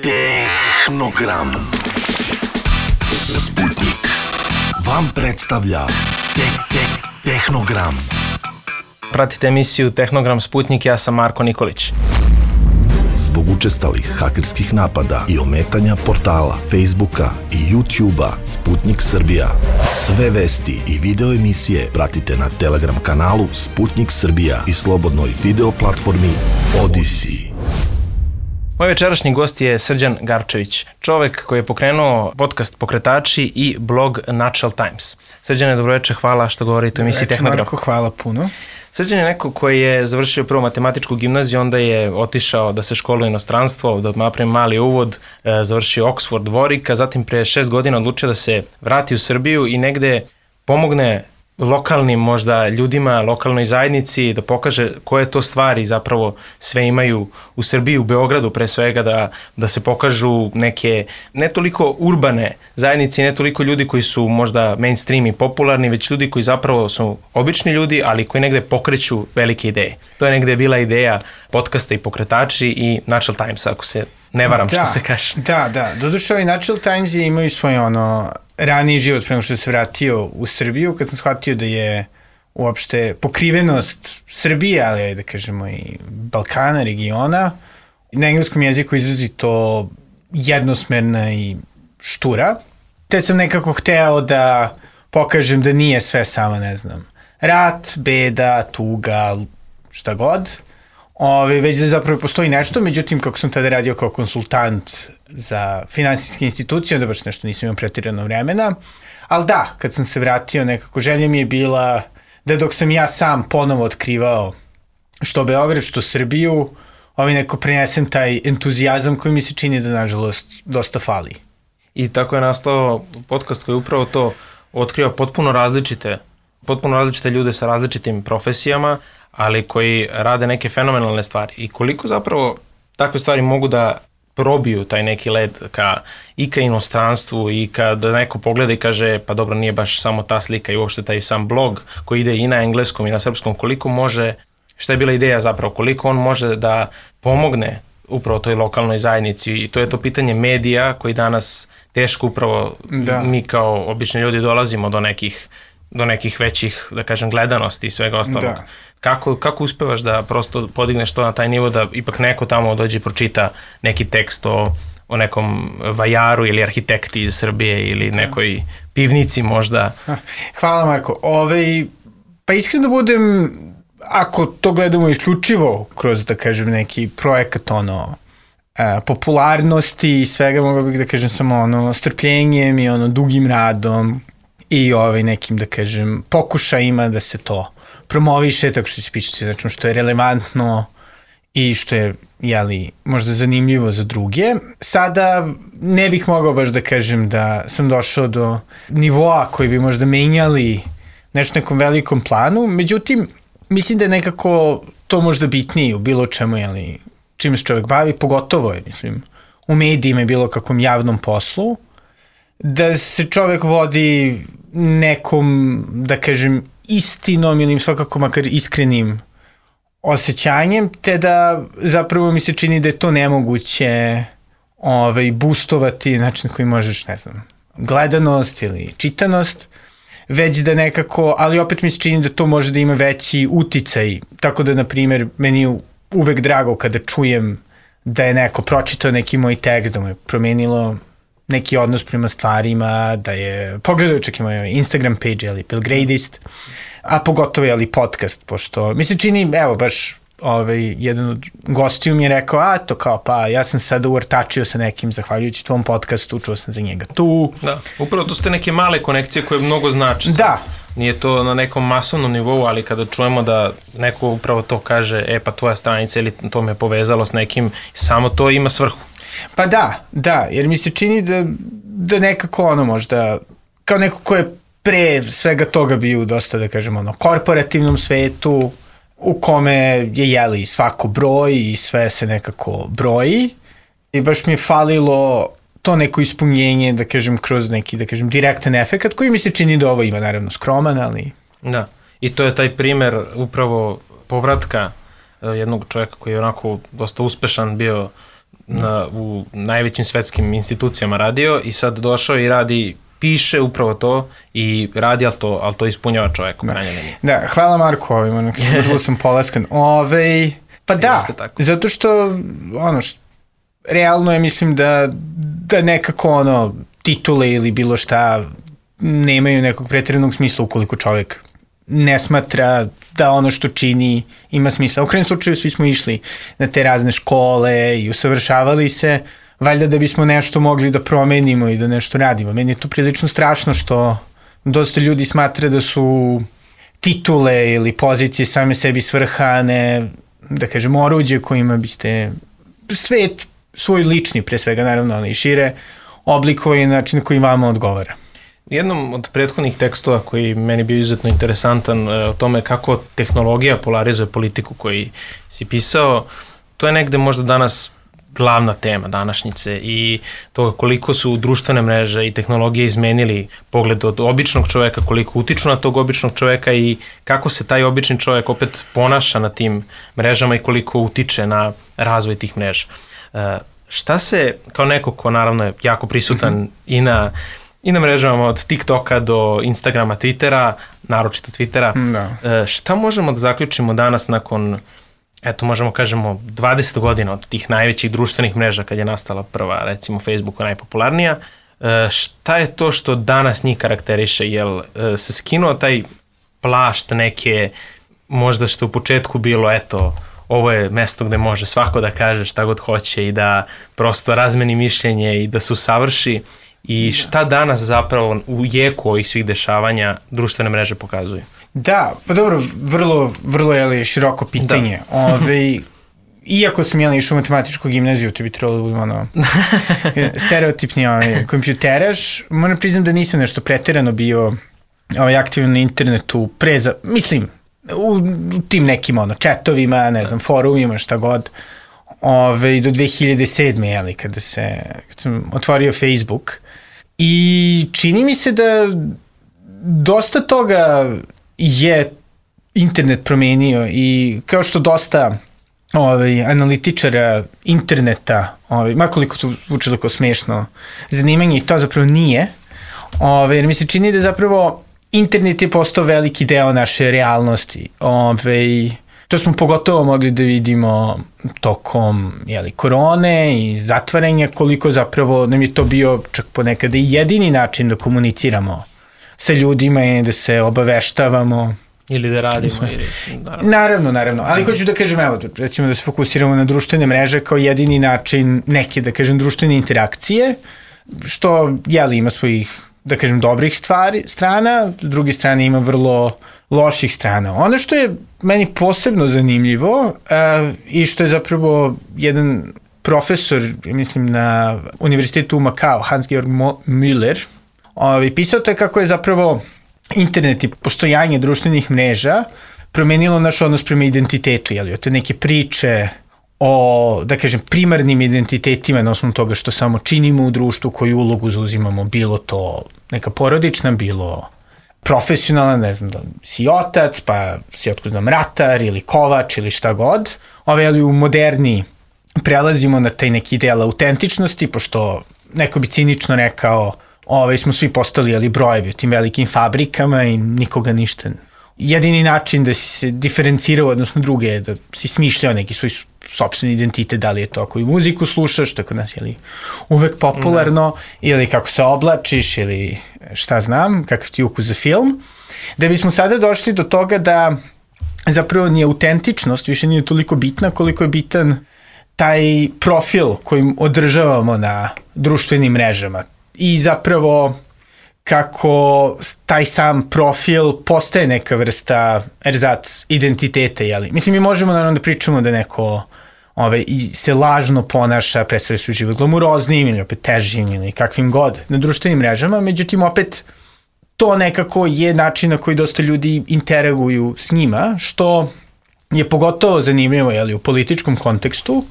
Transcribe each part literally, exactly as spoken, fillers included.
Tehnogram. Sputnik vam predstavlja te- te- Tehnogram. Pratite emisiju Tehnogram Sputnik, ja sam Marko Nikolić. Zbog učestalih hakerskih napada i ometanja portala, Facebooka i YouTubea Sputnik Srbija. Sve vesti i video emisije pratite na Telegram kanalu Sputnik Srbija i slobodnoj video platformi Odyssey. Moj večerašnji gost je Srđan Garčević, čovek koji je pokrenuo podcast Pokretači i blog Natural Times. Srđane, dobroveče, hvala što govorite o emisiji Tehnogram. Marko, hvala puno. Srđan je neko koji je završio prvo matematičku gimnaziju, onda je otišao da se školuje inostranstvo, da napravim mali uvod, završio Oxford Warwicka, zatim pre šest godina odlučio da se vrati u Srbiju i negde pomogne lokalnim možda ljudima, lokalnoj zajednici, da pokaže koje to stvari zapravo sve imaju u Srbiji, u Beogradu pre svega, da, da se pokažu neke ne toliko urbane zajednice, ne toliko ljudi koji su možda mainstream i popularni, već ljudi koji zapravo su obični ljudi, ali koji negde pokreću velike ideje. To je negde bila ideja podcasta i Pokretači i Natural Times, ako se ne varam, da, što se kaže. Da, da. Doduše, ovaj Natural Times je imaju svoj ono raniji život prema što se vratio u Srbiju, kad sam shvatio da je uopšte pokrivenost Srbije, ali da kažemo i Balkana, regiona, na engleskom jeziku izrazito jednosmerna i štura. Te sam nekako hteo da pokažem da nije sve samo, ne znam, rat, beda, tuga, šta god. Ove, već da zapravo postoji nešto, međutim, kako sam tada radio kao konsultant za finansijske institucije, onda baš nešto nisam imao pretirano vremena. Ali da, kad sam se vratio, nekako želja mi je bila da dok sam ja sam ponovo otkrivao što Beograd, što Srbiju, ovaj neko prenesem taj entuzijazam koji mi se čini da, nažalost, dosta fali. I tako je nastao podcast koji upravo to otkriva potpuno različite, potpuno različite ljude sa različitim profesijama, ali koji rade neke fenomenalne stvari. I koliko zapravo takve stvari mogu da probiju taj neki led ka, i ka inostranstvu i kada neko pogleda i kaže pa dobro, nije baš samo ta slika i uopšte taj sam blog koji ide i na engleskom i na srpskom, koliko može, šta je bila ideja zapravo, koliko on može da pomogne upravo toj lokalnoj zajednici, i to je to pitanje medija koji danas teško upravo da. Mi kao obični ljudi dolazimo do nekih do nekih većih, da kažem, gledanosti i svega ostalog. Da. Kako, kako uspevaš da prosto podigneš to na taj nivo da ipak neko tamo dođe i pročita neki tekst o, o nekom vajaru ili arhitekti iz Srbije ili nekoj pivnici možda? Hvala, Marko. Ove, pa iskreno budem, ako to gledamo isključivo kroz, da kažem, neki projekat ono, e, popularnosti i svega, mogu bih da kažem samo ono, strpljenjem i ono, dugim radom i ovaj nekim, da kažem, pokušajima da se to promoviše, tako što se piše, znači što je relevantno i što je, jeli, možda zanimljivo za druge. Sada ne bih mogao baš da kažem da sam došao do nivoa koji bi možda menjali nešto nekom velikom planu, međutim, mislim da je nekako to možda bitnije u bilo čemu, jeli, čim se čovjek bavi, pogotovo je, mislim, u medijima i bilo kakvom javnom poslu, da se čovjek vodi nekom, da kažem, istinom ili svakako makar iskrenim osjećanjem, te da zapravo mi se čini da je to nemoguće ovaj, boostovati način na koji možeš, ne znam, gledanost ili čitanost, već da nekako, ali opet mi se čini da to može da ima veći uticaj, tako da, na primjer, meni je uvek drago kada čujem da je neko pročitao neki moj tekst, da mu je promenilo neki odnos prema stvarima, da je pogledao čak i moj Instagram page, ali Pilgradist, a pogotovo je ali podcast, pošto mi se čini, evo baš ovaj, jedan od gostiju mi je rekao, a to kao pa ja sam sada uvrtačio sa nekim zahvaljujući tvom podcastu, čuo sam za njega tu. Da, upravo to su te neke male konekcije koje mnogo znači. Da. Nije to na nekom masovnom nivou, ali kada čujemo da neko upravo to kaže, e pa tvoja stranica ili to me povezalo s nekim, samo to ima svrhu. Pa da, da, jer mi se čini da, da nekako ono možda, kao neko ko je pre svega toga bio dosta, da kažem, ono, korporativnom svetu, u kome je, jeli, svako broj i sve se nekako broji, i baš mi je falilo to neko ispunjenje, da kažem, kroz neki, da kažem, direktan efekat, koji mi se čini da ovo ima, naravno, skroman, ali... Da, i to je taj primer upravo povratka jednog čovjeka koji je onako dosta uspešan bio na, u najvećim svetskim institucijama radio i sad došao i radi, piše upravo to i radi, ali to, ali to ispunjava čovek u krajnjoj liniji. Da, hvala Marko ovim, vrlo sam polaskan. Ove, pa da, zato što, ono, što, realno je, mislim da, da nekako, ono, titule ili bilo šta nemaju nekog pretjeranog smisla ukoliko čovek ne smatra da ono što čini ima smisla. U krajem slučaju svi smo išli na te razne škole i usavršavali se, valjda da bismo nešto mogli da promenimo i da nešto radimo. Meni je to prilično strašno što dosta ljudi smatra da su titule ili pozicije same sebi svrhane, da kažem, oruđe kojima biste svet svoj lični, pre svega naravno, ali i šire, oblikovao na način koji vama odgovara. U jednom od prethodnih tekstova koji meni bio izuzetno interesantan o tome kako tehnologija polarizuje politiku koji si pisao, to je negde možda danas glavna tema današnjice i toga koliko su društvene mreže i tehnologije izmenili pogled od običnog čoveka, koliko utiču na tog običnog čoveka i kako se taj obični čovek opet ponaša na tim mrežama i koliko utiče na razvoj tih mreža. Šta se, kao neko ko naravno je jako prisutan mm-hmm. i na i na mrežama od TikToka do Instagrama, Twittera, naročito Twittera, da. Šta možemo da zaključimo danas nakon, eto možemo kažemo, dvadeset godina od tih najvećih društvenih mreža kad je nastala prva, recimo Facebook najpopularnija, šta je to što danas njih karakteriše? Jel se skinuo taj plašt neke, možda što u početku bilo, eto, ovo je mesto gde može svako da kaže šta god hoće i da prosto razmeni mišljenje i da se usavrši. I šta danas zapravo u jeku ovih svih dešavanja društvene mreže pokazuju? Da, pa dobro, vrlo, vrlo je široko pitanje. Ove, iako sam jel išao u matematičku gimnaziju, to bi trebalo da budem ono stereotipni ovaj, kompjuteraš, moram priznam da nisam nešto preterano bio ovaj, aktivan na internetu pre za, mislim, u, u tim nekim ono, chatovima, ne znam, forumima, šta god, ove, do dve hiljade sedme jeli, kada, se, kada sam otvorio Facebook. I čini mi se da dosta toga je internet promenio i kao što dosta ovaj, analitičara interneta, ovaj, makoliko to učilo kao smešno zanimanje, i to zapravo nije, ovaj, jer mi se čini da zapravo internet je postao veliki deo naše realnosti. Ovaj, to smo pogotovo mogli da vidimo tokom jeli, korone i zatvaranja, koliko zapravo nam je to bio čak ponekada i jedini način da komuniciramo sa ljudima i da se obaveštavamo. Ili da radimo. Ili, naravno. naravno, naravno. Ali hoću da kažem, evo, recimo da se fokusiramo na društvene mreže kao jedini način neke, da kažem, društvene interakcije, što, jeli, ima svojih, da kažem, dobrih stvari, strana, s druge strane ima vrlo loših strana. Ono što je meni posebno zanimljivo uh, i što je zapravo jedan profesor, mislim, na univerzitetu u Makao, Hans-Georg Müller, ovaj, pisao to je kako je zapravo internet i postojanje društvenih mreža promenilo naš odnos prema identitetu, jeli, od te neke priče o, da kažem, primarnim identitetima na osnovu toga što samo činimo u društvu, koju ulogu zauzimamo, bilo to neka porodična, bilo profesionalna, ne znam, da si otac, pa si otko znam ratar ili kovač ili šta god. Ove, ali u moderni prelazimo na taj neki deo autentičnosti, pošto neko bi cinično rekao, ove, smo svi postali ali brojevi u tim velikim fabrikama i nikoga ništa. Jedini način da si se diferencirao, odnosno druge, je da si smišljao neki svoj sopstveni identitet, da li je to ako i muziku slušaš, što je kod nas je li uvek popularno, ne. Ili kako se oblačiš, ili šta znam, kakav ti ukus za film, da bismo sada došli do toga da zapravo nije autentičnost, više nije toliko bitna koliko je bitan taj profil kojim održavamo na društvenim mrežama. I zapravo kako taj sam profil postaje neka vrsta erzac identiteta, jeli? Mislim, mi možemo naravno da pričamo da neko ove, i se lažno ponaša, predstavlja svoj život glamuroznim ili opet težim ili kakvim god na društvenim mrežama, međutim opet to nekako je način na koji dosta ljudi interaguju s njima, što je pogotovo zanimljivo, jeli, u političkom kontekstu,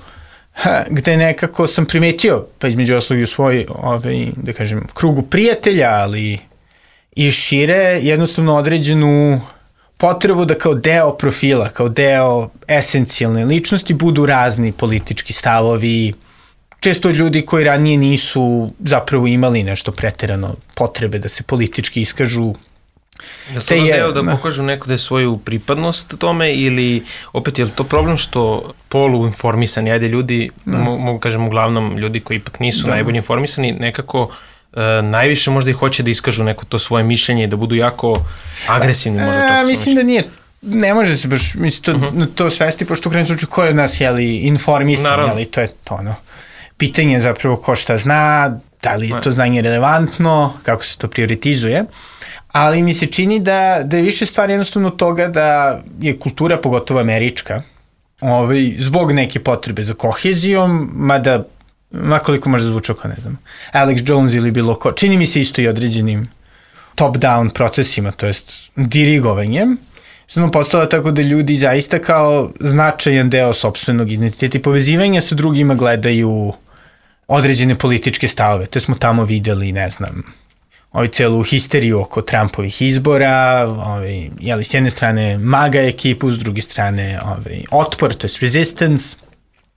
gde nekako sam primetio, pa između oslovi u svoj, ovaj, da kažem, krugu prijatelja, ali i šire, jednostavno određenu potrebu da kao deo profila, kao deo esencijalne ličnosti budu razni politički stavovi, često ljudi koji ranije nisu zapravo imali nešto preterano potrebe da se politički iskažu. Je li to je, deo da pokažu nekde svoju pripadnost tome ili opet je li to problem što poluinformisani, ajde ljudi, mm. mogu kažem uglavnom ljudi koji ipak nisu da. najbolje informisani, nekako uh, najviše možda i hoće da iskažu neko to svoje mišljenje i da budu jako agresivni možda čak. A, mislim da nije, ne može se baš mislim, to, uh-huh. to svesti, pošto u krajnjem slučaju ko je od nas jeli, informisan, Naravno. jeli, to je to ono. Pitanje je zapravo ko šta zna, da li je to znanje relevantno, kako se to prioritizuje. Ali mi se čini da, da je više stvar jednostavno toga da je kultura, pogotovo američka, ovaj, zbog neke potrebe za kohezijom, mada, makoliko može zvučao kao, ne znam, Alex Jones ili bilo ko, čini mi se isto i određenim top-down procesima, to jest dirigovanjem, jednostavno postala tako da ljudi zaista kao značajan deo sopstvenog identiteta i povezivanja sa drugima gledaju određene političke stavove. Te smo tamo videli, ne znam, ovaj celu histeriju oko Trumpovih izbora, ovaj, jeli, s jedne strane MAGA ekipu, s druge strane ovaj, otpor, to je resistance,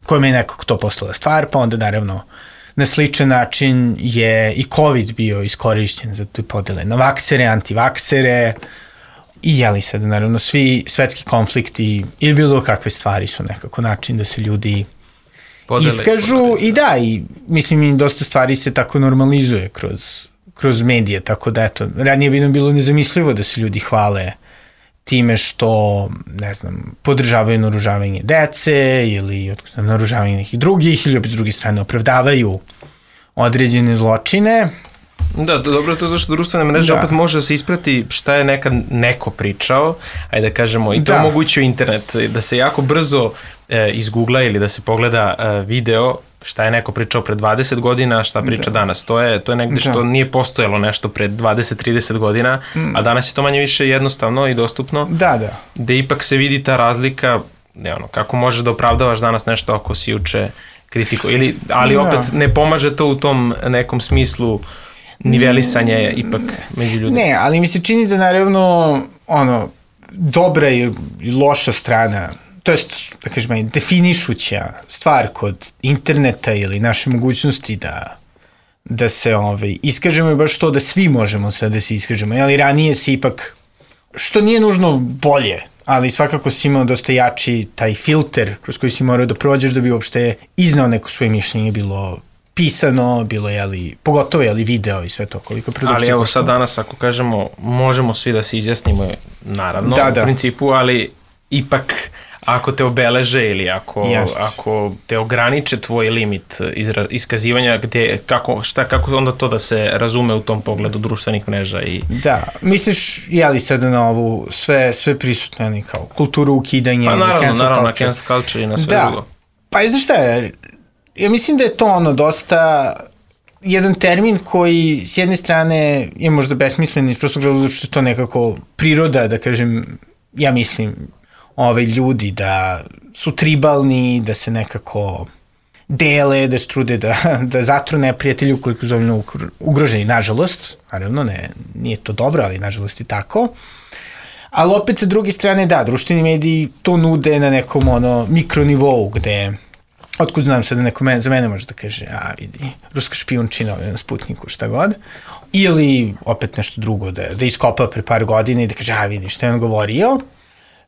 kojima je nekako to postala stvar, pa onda naravno na sličan način je i COVID bio iskorišćen za te podele na vaksere, antivaksere i jeli sad naravno svi svetski konflikti ili bilo kakve stvari su nekako način da se ljudi podele, iskažu podele. I da, i mislim i dosta stvari se tako normalizuje kroz kroz medije, tako da eto, ranije bi nam bilo nezamislivo da se ljudi hvale time što, ne znam, podržavaju naoružavanje dece ili naoružavanje nekih drugih ili opet s druge strane opravdavaju određene zločine. Da, dobro je to zašto društvene mreže da. opet može da se isprati šta je nekad neko pričao, ajde da kažemo, i to da. omogućuje internet, da se jako brzo e, izgoogla ili da se pogleda e, video šta je neko pričao pre dvadeset godina, šta priča da. danas. To je, to je negde što da. nije postojalo nešto pre dvadeset trideset godina, mm. a danas je to manje više jednostavno i dostupno. Da, da. Gde ipak se vidi ta razlika, ne ono, kako možeš da opravdavaš danas nešto ako si juče kritiko. Ili, ali da. opet ne pomaže to u tom nekom smislu nivelisanja je ipak među ljudima. Ne, ali mi se čini da naravno ono, dobra i loša strana, to jest, da kažem, definišuća stvar kod interneta ili naše mogućnosti da, da se ovaj, iskažemo je baš to da svi možemo sad da se iskažemo, ali ranije se ipak, što nije nužno bolje, ali svakako si imao dosta jači taj filter kroz koji si morao da prođeš da bi uopšte iznao neko svoje mišljenje, bilo pisano, bilo je li, pogotovo je li video i sve to koliko produkcija. Ali evo sad danas ako kažemo možemo svi da se izjasnimo, naravno da, u da. principu, ali ipak ako te obeleže ili ako, ako te ograniče tvoj limit izra, iskazivanja, gde, kako, šta, kako onda to da se razume u tom pogledu društvenih mreža? I... Da, misliš, je li sada na ovu sve, sve prisutno, ne, kao kulturu ukidanja, pa naravno, cancel naravno, culture. na cancel culture i na sve da. drugo. Pa znaš šta je, ja mislim da je to ono dosta jedan termin koji s jedne strane je možda besmislen iz prostog razloga što je to nekako priroda, da kažem, ja mislim, ove ljudi da su tribalni, da se nekako dele, da se trude da, da zatru neprijatelji ukoliko su dovoljno ugroženi, nažalost, naravno ne, nije to dobro, ali nažalost je tako. Ali opet sa druge strane, da, društveni mediji to nude na nekom ono mikronivou gde, otkud znam sad da neko men, za mene može da kaže, a vidi, ruska špijunčina na Sputniku, šta god, ili opet nešto drugo da, da iskopa pre par godina i da kaže, a vidi, šta je on govorio,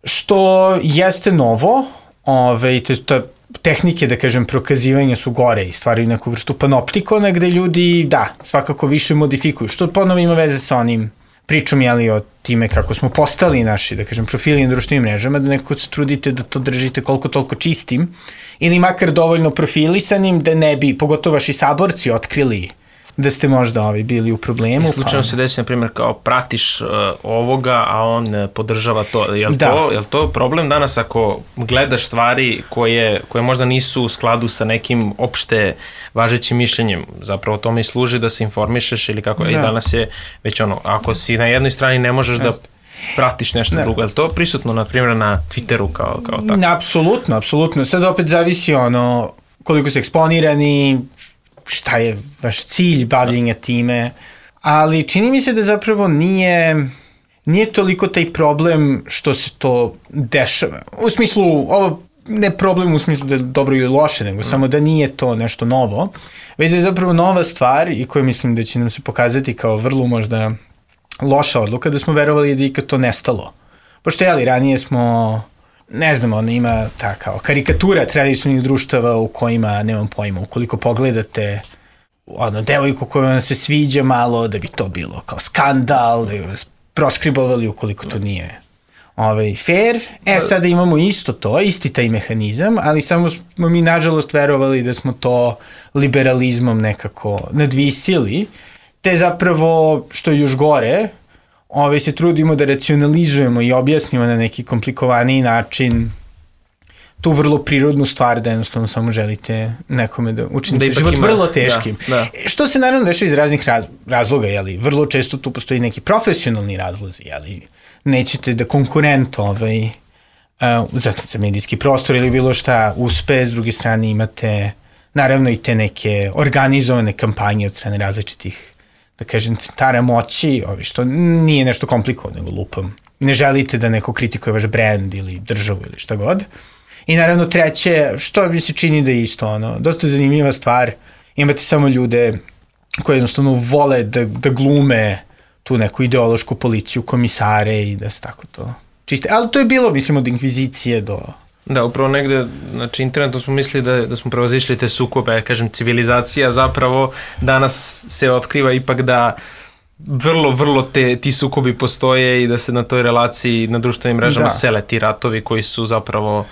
što jeste novo, ove, te, te tehnike, da kažem, prokazivanja su gore i stvaraju neku vrstu panoptikona gde ljudi, da, svakako više modifikuju, što ponovo ima veze sa onim pričom, jeli, o time kako smo postali naši, da kažem, profili na društvenim mrežama, da neko se trudite da to držite koliko toliko čistim, ili makar dovoljno profilisanim, da ne bi, pogotovo vaši saborci, otkrili da ste možda ovi bili u problemu. I slučajno pa... se desi, na primjer, kao pratiš uh, ovoga, a on uh, podržava to. Je li da. to, je li to problem danas ako gledaš stvari koje, koje možda nisu u skladu sa nekim opšte važećim mišljenjem? Zapravo tome i služi da se informišeš ili kako. Da. I danas je već ono, ako si na jednoj strani ne možeš da pratiš nešto ne. drugo. Je li to prisutno, na primjer, na Twitteru kao, kao tako? Apsolutno, apsolutno. Sad opet zavisi ono koliko ste eksponirani, šta je vaš cilj bavljenja time, ali čini mi se da zapravo nije, nije toliko taj problem što se to dešava. U smislu, ovo ne problem u smislu da je dobro ili loše, nego mm. samo da nije to nešto novo, već da je zapravo nova stvar i koja mislim da će nam se pokazati kao vrlo možda loša odluka, da smo verovali da je ikad to nestalo. Pošto jeli, ranije smo, ne znam, ono ima ta kao karikatura tradicionalnih društava u kojima, nemam pojma, ukoliko pogledate ono, devojku koja vam se sviđa malo, da bi to bilo kao skandal, da bi vas proskribovali ukoliko to nije ovaj, fair. E, sada imamo isto to, isti taj mehanizam, ali samo smo mi nažalost verovali da smo to liberalizmom nekako nadvisili, te zapravo, što je još gore, ove, se trudimo da racionalizujemo i objasnimo na neki komplikovaniji način tu vrlo prirodnu stvar da jednostavno samo želite nekome da učinite da život ima, vrlo teškim. Da, da. Što se naravno dešava iz raznih raz, razloga, jeli? Vrlo često tu postoji neki profesionalni razlozi, jeli? Nećete da konkurent ovaj, uh, za, za medijski prostor ili bilo šta uspe, s druge strane imate naravno i te neke organizovane kampanje od strane različitih, da kažem, centara moći, ovi, što nije nešto komplikovano, nego lupam. Ne želite da neko kritikuje vaš brand ili državu ili šta god. I naravno treće, što mi se čini da je isto, ono, dosta zanimljiva stvar, imate samo ljude koji jednostavno vole da, da glume tu neku ideološku policiju, komisare i da se tako to čiste. Ali to je bilo, mislim, od inkvizicije do... Da, upravo negde, znači internetom smo mislili da, da smo prevazišli te sukobe, ja kažem, civilizacija zapravo danas se otkriva ipak da vrlo, vrlo te, ti sukobi postoje i da se na toj relaciji na društvenim mrežama da. sele ti ratovi koji su zapravo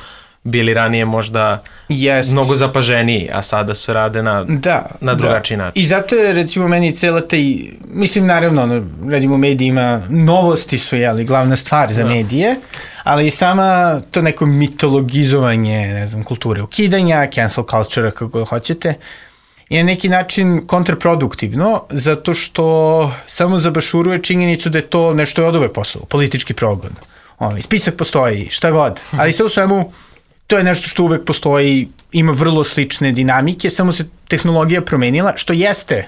bili ranije možda Jest. mnogo zapaženiji, a sada se rade na, da, na drugačiji da. način. I zato je, recimo, meni cela taj, mislim, naravno, ono, radimo u medijima, novosti su, jeli, glavna stvar za da. medije, ali i sama to neko mitologizovanje, ne znam, kulture ukidanja, cancel culture, kako hoćete, je na neki način kontraproduktivno, zato što samo zabašuruje činjenicu da je to nešto je od uvek poslalo, politički progon. Ovaj, spisak postoji, šta god, ali sve u svemu to je nešto što uvek postoji, ima vrlo slične dinamike, samo se tehnologija promenila, što jeste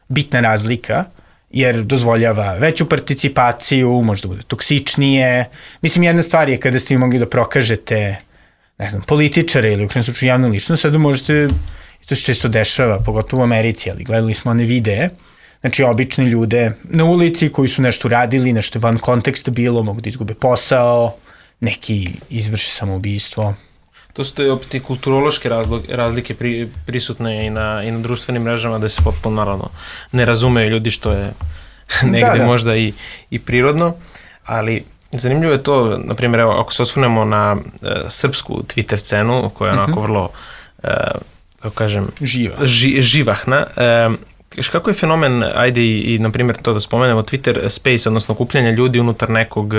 bitna razlika, jer dozvoljava veću participaciju, možda bude toksičnije. Mislim, jedna stvar je kada ste vi mogli da prokažete, ne znam, političare ili u krajnjem slučaju javnu ličnost, sada možete, i to se često dešava, pogotovo u Americi, ali gledali smo one videe, znači obične ljude na ulici koji su nešto radili, nešto van konteksta bilo, mogu da izgube posao, neki izvrše samoubistvo. To su to opet i kulturološke razlike pri, prisutne i na, i na društvenim mrežama da se potpuno naravno ne razumeju ljudi, što je negde da, da. možda i, i prirodno, ali zanimljivo je to, na primjer, evo, ako se osvrnemo na uh, srpsku Twitter scenu, koja je onako uh-huh. vrlo, uh, kako kažem, Živa. ži, živahna, uh, kako je fenomen, ajde i, i na primjer to da spomenemo, Twitter Space, odnosno okupljanje ljudi unutar nekog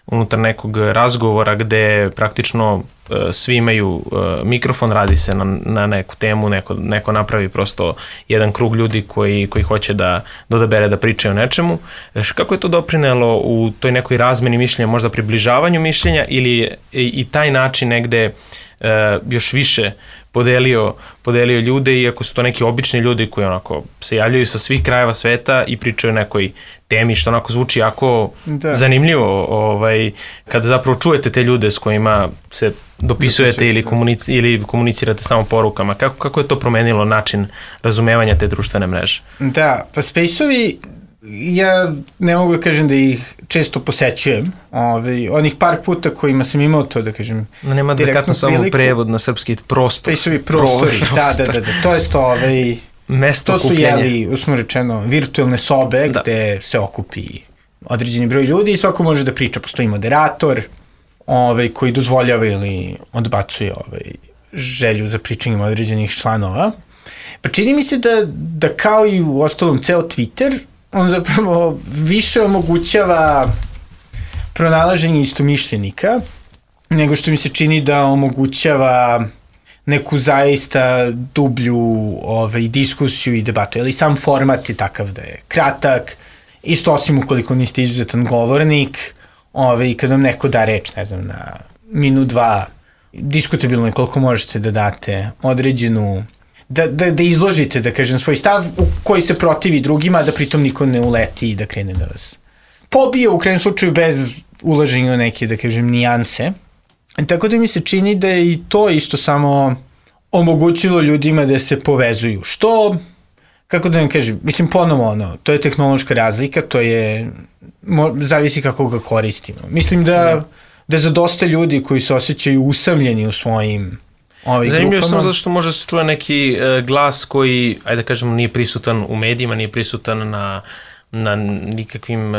unutar nekog razgovora gde praktično uh, svi imaju uh, mikrofon, radi se na, na neku temu, neko, neko napravi prosto jedan krug ljudi koji, koji hoće da dodabere da pričaju o nečemu. Kako je to doprinelo u toj nekoj razmeni mišljenja, možda približavanju mišljenja ili i, i taj način negde uh, još više podelio, podelio ljude, iako su to neki obični ljudi koji onako se javljaju sa svih krajeva sveta i pričaju o nekoj temi, što onako zvuči jako da. zanimljivo, ovaj, kada zapravo čujete te ljude s kojima se dopisujete ili, komunici, ili komunicirate samo porukama. Kako, kako je to promenilo način razumevanja te društvene mreže? Da, pa Space-ovi, ja ne mogu da kažem da ih često posećujem. Ove, onih par puta kojima sam imao to, da kažem, no, nema adekvatno samo prevod na srpski prostor. Space-ovi prostori, prostor. da, da, da, da, to je to, ovaj, mesto to su, kupljenje. jeli, usmo rečeno, virtualne sobe da. gde se okupi određeni broj ljudi i svako može da priča. Postoji moderator ovaj, koji dozvoljava ili odbacuje ovaj, želju za pričanjem određenih članova. Pa čini mi se da, da kao i u ostalom ceo Twitter, on zapravo više omogućava pronalaženje istomišljenika, nego što mi se čini da omogućava neku zaista dublju ovaj, diskusiju i debatu. Ali sam format je takav da je kratak, isto osim ukoliko niste izuzetan govornik, ovaj, kad vam neko da reč, ne znam, na minut, dva, diskutabilno je koliko možete da date određenu Da, da, da izložite, da kažem, svoj stav u koji se protivi drugima, da pritom niko ne uleti i da krene da vas pobije, u krajnjem slučaju bez ulaženja neke, da kažem, nijanse. Tako da mi se čini da je i to isto samo omogućilo ljudima da se povezuju. Što, kako da vam kažem, mislim ponovo ono, to je tehnološka razlika, to je, mo, zavisi kako ga koristimo. Mislim da, da za dosta ljudi koji se osjećaju usamljeni u svojim ovih Zanimljivo grupama. samo zato što može se čuje neki uh, glas koji, ajde da kažemo, nije prisutan u medijima, nije prisutan na na nikakvim,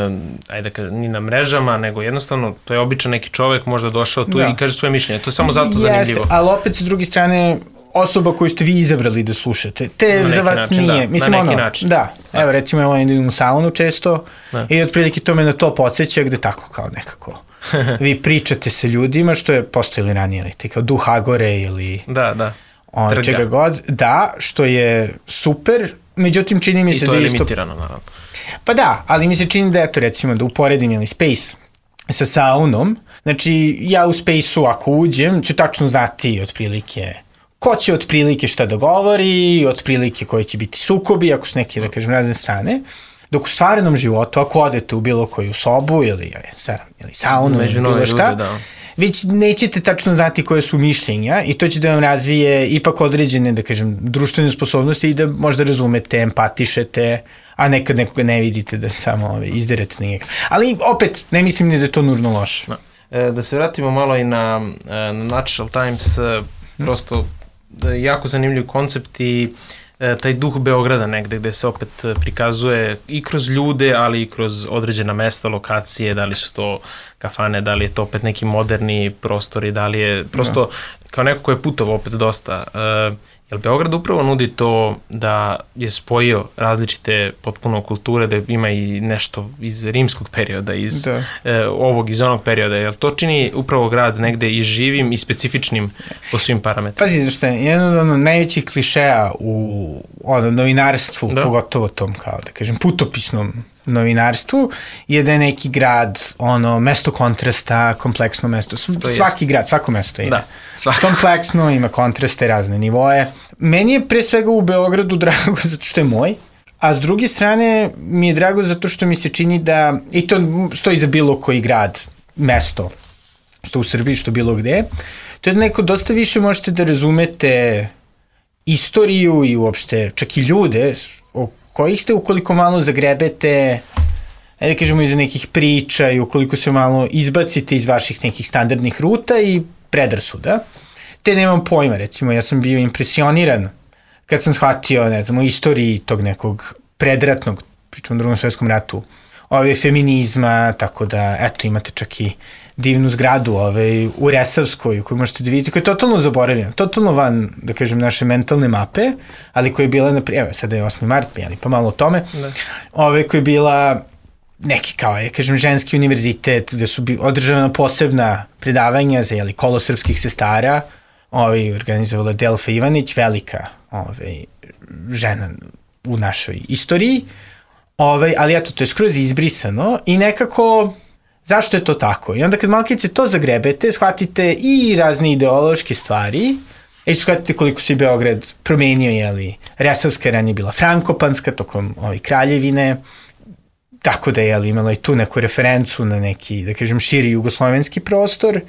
ajde da kažem, ni na mrežama, nego jednostavno to je običan neki čovek možda došao tu da. I kaže svoje mišljenje. To je samo zato Jeste, zanimljivo. Ali opet sa druge strane osoba koju ste vi izabrali da slušate, te za vas način, nije. Da. Mislim, na neki ono, način. Da, da. Evo recimo ja idem u saunu često da. I otprilike to me na to podsjeća gde tako kao nekako. Vi pričate sa ljudima što je postojili ranije, ili te kao duh Agore ili da, da. On, čega god. Da, što je super, međutim čini mi se da isto... I to je limitirano, naravno. Pa da, ali mi se čini da eto recimo da uporedim ili Space sa saunom, znači ja u Space-u ako uđem ću tačno znati otprilike ko će otprilike šta da govori, otprilike koji će biti sukobi, ako su neke da kažem razne strane, dok u stvarnom životu ako odete u bilo koju sobu ili, ili saunu ili bilo šta, ljudi, da. Već nećete tačno znati koje su mišljenja i to će da vam razvije ipak određene, da kažem, društvene sposobnosti i da možda razumete, empatišete, a nekad nekoga ne vidite da samo ove, izderete na njega. Ali opet, ne mislim ni da je to nužno loše. Da, e, da se vratimo malo i na, na Natural Times, prosto da je jako zanimljiv koncept i e, taj duh Beograda negde gde se opet prikazuje i kroz ljude, ali i kroz određena mesta, lokacije, da li su to kafane, da li je to opet neki moderni prostori, da li je prosto da. Kao neko ko je putovao opet dosta. E, Jel Beograd upravo nudi to da je spojio različite potpuno kulture, da ima i nešto iz rimskog perioda, iz da. e, ovog, iz onog perioda. Jel to čini upravo grad negde i živim i specifičnim po svim parametrima? Pazi, zašto je jedan od ono, najvećih klišeja u ono, novinarstvu, da. Pogotovo tom, kao da kažem, putopisnom novinarstvu, je da je neki grad, ono, mesto kontrasta, kompleksno mesto. Svaki jest. Grad, svako mesto ima. Da, svako. Kompleksno, ima kontraste, razne nivoje. Meni je pre svega u Beogradu drago zato što je moj, a s druge strane mi je drago zato što mi se čini da, i to stoji za bilo koji grad, mesto, što u Srbiji, što bilo gde, to je da neko dosta više možete da razumete istoriju i uopšte čak i ljude o kojih ste ukoliko malo zagrebete, ajde da kažemo iza nekih priča i ukoliko se malo izbacite iz vaših nekih standardnih ruta i predrasuda, te nemam pojma, recimo ja sam bio impresioniran kad sam shvatio, ne znam, o istoriji tog nekog predratnog, pričam o drugom svjetskom ratu, ove feminizma, tako da, eto, imate čak i divnu zgradu ove, u Resavskoj koju možete da vidite, koja je totalno zaboravljena, totalno van, da kažem, naše mentalne mape, ali koja je bila, naprijed, evo, sada je osmi mart, pa malo o tome, da. Ove koja je bila neki, kao je, kažem, ženski univerzitet, gde su održavana posebna predavanja za, jeli, kolo srpskih sestara, ove, organizovala Delfa Ivanić, velika ove, žena u našoj istoriji, ove, ali eto, to je skroz izbrisano i nekako... Zašto je to tako? I onda kad malkice to zagrebete, shvatite i razne ideološke stvari, i shvatite koliko se Beograd promenio, jeli, Resavska ranije bila Frankopanska tokom ove kraljevine, tako da je jeli, imala i tu neku referencu na neki, da kažem, širi jugoslovenski prostor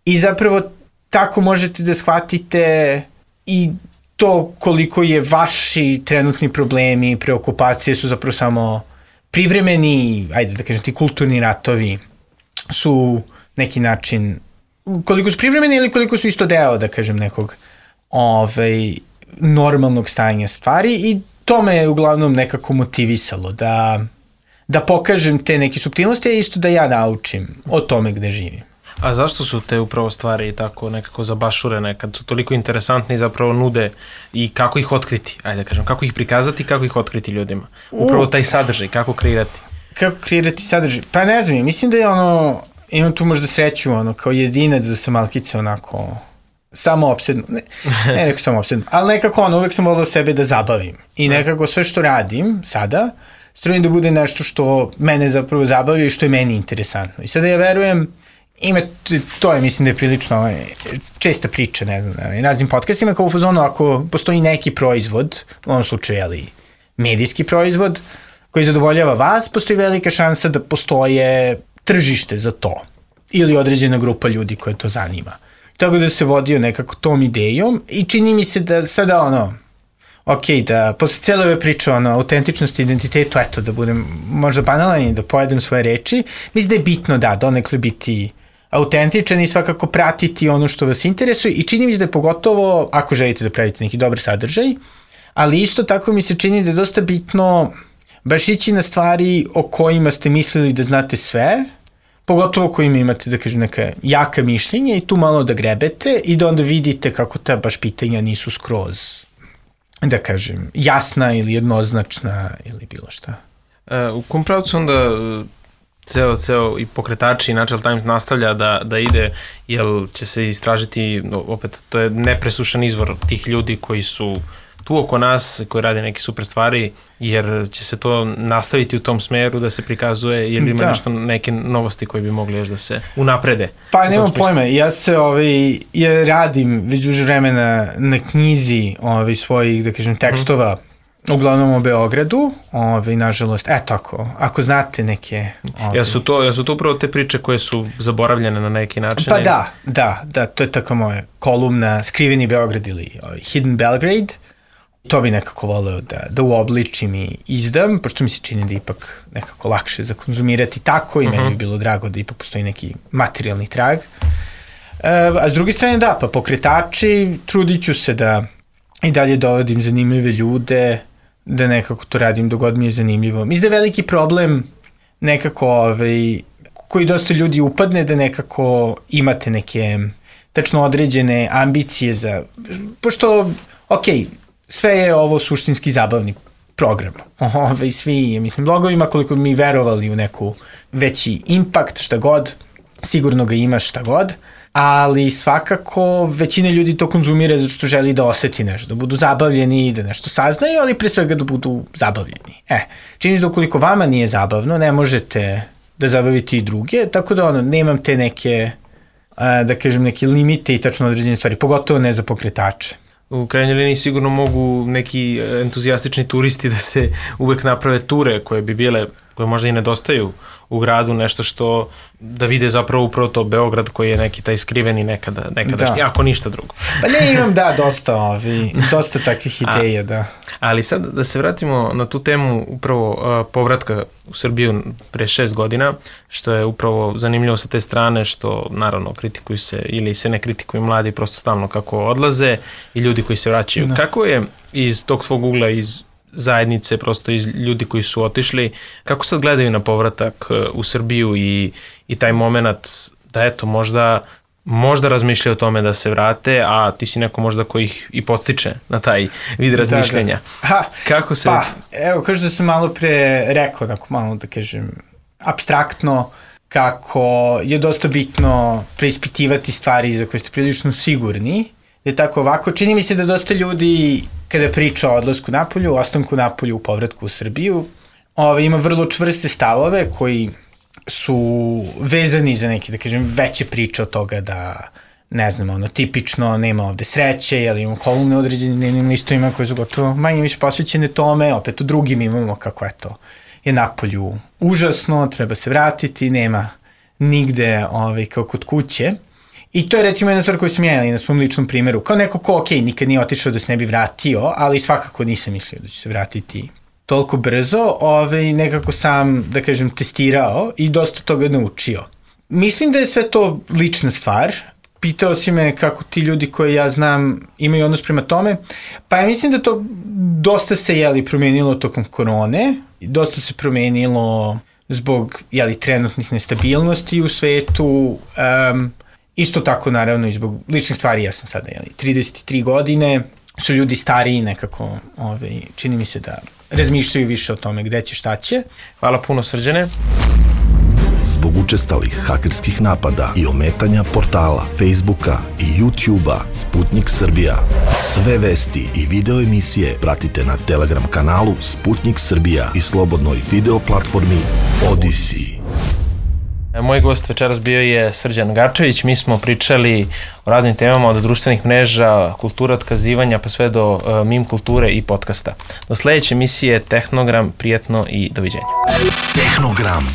i zapravo tako možete da shvatite i to koliko je vaši trenutni problemi, preokupacije su zapravo samo privremeni, ajde da kažem, ti kulturni ratovi su neki način, koliko su privremeni ili koliko su isto deo, da kažem, nekog ovaj, normalnog stanja stvari i to me je uglavnom nekako motivisalo da, da pokažem te neke suptilnosti, a isto da ja naučim o tome gde živim. A zašto su te upravo stvari tako nekako zabašurene, kad su toliko interesantni i zapravo nude i kako ih otkriti, ajde da kažem, kako ih prikazati, kako ih otkriti ljudima? Upravo taj sadržaj, kako kreirati? Kako kreirati sadržaj? Pa ne znam, mislim da je ono, imam tu možda sreću, ono, kao jedinac da sam malkice onako samo opsedno, ne, ne neko samo opsedno, ali nekako ono, uvek sam volao sebe da zabavim i nekako sve što radim sada, strujem da bude nešto što mene zapravo zabavio i što je meni interesantno. I sada ja verujem, ima, to je, mislim da je prilično ovaj, česta priča, ne znam, na raznim podcastima, kao u fazonu, ako postoji neki proizvod, u ovom slučaju, jeli, medijski proizvod, koji zadovoljava vas, postoji velika šansa da postoje tržište za to ili određena grupa ljudi koje to zanima. tako da se vodio nekako tom idejom i čini mi se da sada ono, ok, da posle cijele ove priče ono, autentičnosti, identitetu, eto, da budem možda banalan i da pojedem svoje reči, mislim da je bitno, da, donekle biti autentičan i svakako pratiti ono što vas interesuje i čini mi se da je pogotovo ako želite da pravite neki dobar sadržaj, ali isto tako mi se čini da je dosta bitno baš ići na stvari o kojima ste mislili da znate sve, pogotovo kojima imate, da kažem, neka jaka mišljenja i tu malo da grebete i da onda vidite kako ta baš pitanja nisu skroz, da kažem, jasna ili jednoznačna ili bilo šta. E, u kom pravcu onda ceo, ceo i pokretači i Natural Times nastavlja da, da ide, jel će se istražiti, opet, to je nepresušan izvor tih ljudi koji su tu oko nas, koji rade neke super stvari, jer će se to nastaviti u tom smeru da se prikazuje, jer ima da. nešto, neke novosti koje bi mogli još da se unaprede. Pa nemam pojma, ja se ovaj, ja radim već duže vremena na knjizi ovaj, svojih, da kažem, tekstova, mm. uglavnom o Beogradu, ovaj, nažalost, eto ako, ako znate neke... Ovaj... Ja, su to, ja su to upravo te priče koje su zaboravljene na neki način? Pa da, da, da, to je tako moja kolumna Skriveni Beograd ili ovaj, Hidden Belgrade. To bi nekako voleo da, da uobličim i izdam, pošto mi se čini da ipak nekako lakše za konzumirati tako i uh-huh. meni bi bilo drago da ipak postoji neki materijalni trag. E, a s druge strane da, pa pokretači, trudit ću se da i dalje dovodim zanimljive ljude, da nekako to radim dok god mi je zanimljivo. Mislim da je veliki problem nekako ovaj, koji dosta ljudi upadne da nekako imate neke tačno određene ambicije za, pošto, okej, okay, sve je ovo suštinski zabavni program. Ove, svi, mislim, blogovima, koliko mi verovali u neku veći impakt, šta god, sigurno ga ima šta god, ali svakako većina ljudi to konzumira zato što želi da oseti nešto, da budu zabavljeni, da nešto saznaju, ali pre svega da budu zabavljeni. E, čini se da ukoliko vama nije zabavno, ne možete da zabavite i druge, tako da ono, nemam te neke, da kažem, neke limite i tačno određene stvari, pogotovo ne za pokretače. U krajnjoj liniji sigurno mogu neki entuzijastični turisti da se uvek naprave ture koje bi bile, koje možda i nedostaju u gradu, nešto što da vide zapravo upravo to Beograd koji je neki taj skriveni nekada, nekadašnji, da. Ako ništa drugo. Pa ne, imam da, dosta, ovi, dosta takvih ideja, A, da. Ali sad da se vratimo na tu temu upravo uh, povratka u Srbiju pre šest godina, što je upravo zanimljivo sa te strane, što naravno kritikuju se ili se ne kritikuju mladi prosto stalno kako odlaze i ljudi koji se vraćaju. Da. Kako je iz tog svog ugla, iz zajednice, prosto iz ljudi koji su otišli, kako sad gledaju na povratak u Srbiju i, i taj moment da eto možda, možda razmišljaju o tome da se vrate, a ti si neko možda koji ih i podstiče na taj vid razmišljenja. Da, da. Ha, kako se... Pa, evo, kao što sam malo pre rekao, tako malo da kažem, apstraktno, kako je dosta bitno preispitivati stvari za koje ste prilično sigurni, da je tako ovako. Čini mi se da dosta ljudi kada priča o odlasku napolju, o ostanku napolju, u povratku u Srbiju, ove, ima vrlo čvrste stavove koji su vezani za neke, da kažem, veće priče od toga da, ne znam, ono, tipično nema ovde sreće, jel imamo kolumne određene dnevnim listovima koje su gotovo manje više posvećene tome, opet u drugim imamo kako, eto, je napolju užasno, treba se vratiti, nema nigde ove, kao kod kuće. I to je recimo jedna stvar koju sam ja na svom ličnom primjeru. Kao neko ko, ok, nikad nije otišao da se ne bi vratio, ali svakako nisam mislio da će se vratiti toliko brzo. Ove, nekako sam, da kažem, testirao i dosta toga naučio. Mislim da je sve to lična stvar. Pitao si me kako ti ljudi koje ja znam imaju odnos prema tome. Pa ja mislim da to dosta se, jeli, promenilo tokom korone. Dosta se promenilo zbog, jeli, trenutnih nestabilnosti u svetu. Um, Isto tako, naravno, i zbog ličnih stvari, ja sam sada, jeli, trideset tri godine, su ljudi stariji nekako, ovaj, čini mi se da razmišljaju više o tome gde će, šta će. Hvala puno, Srđane. Zbog učestalih hakerskih napada i ometanja portala, Facebooka i YouTubea Sputnik Srbija. Sve vesti i video emisije pratite na Telegram kanalu Sputnik Srbija i slobodnoj video platformi Odyssey. Moj gost večeras bio je Srđan Garčević. Mi smo pričali o raznim temama od društvenih mreža, kultura otkazivanja pa sve do uh, meme kulture i podcasta. Do sledeće emisije Tehnogram, prijetno i doviđenja. Tehnogram.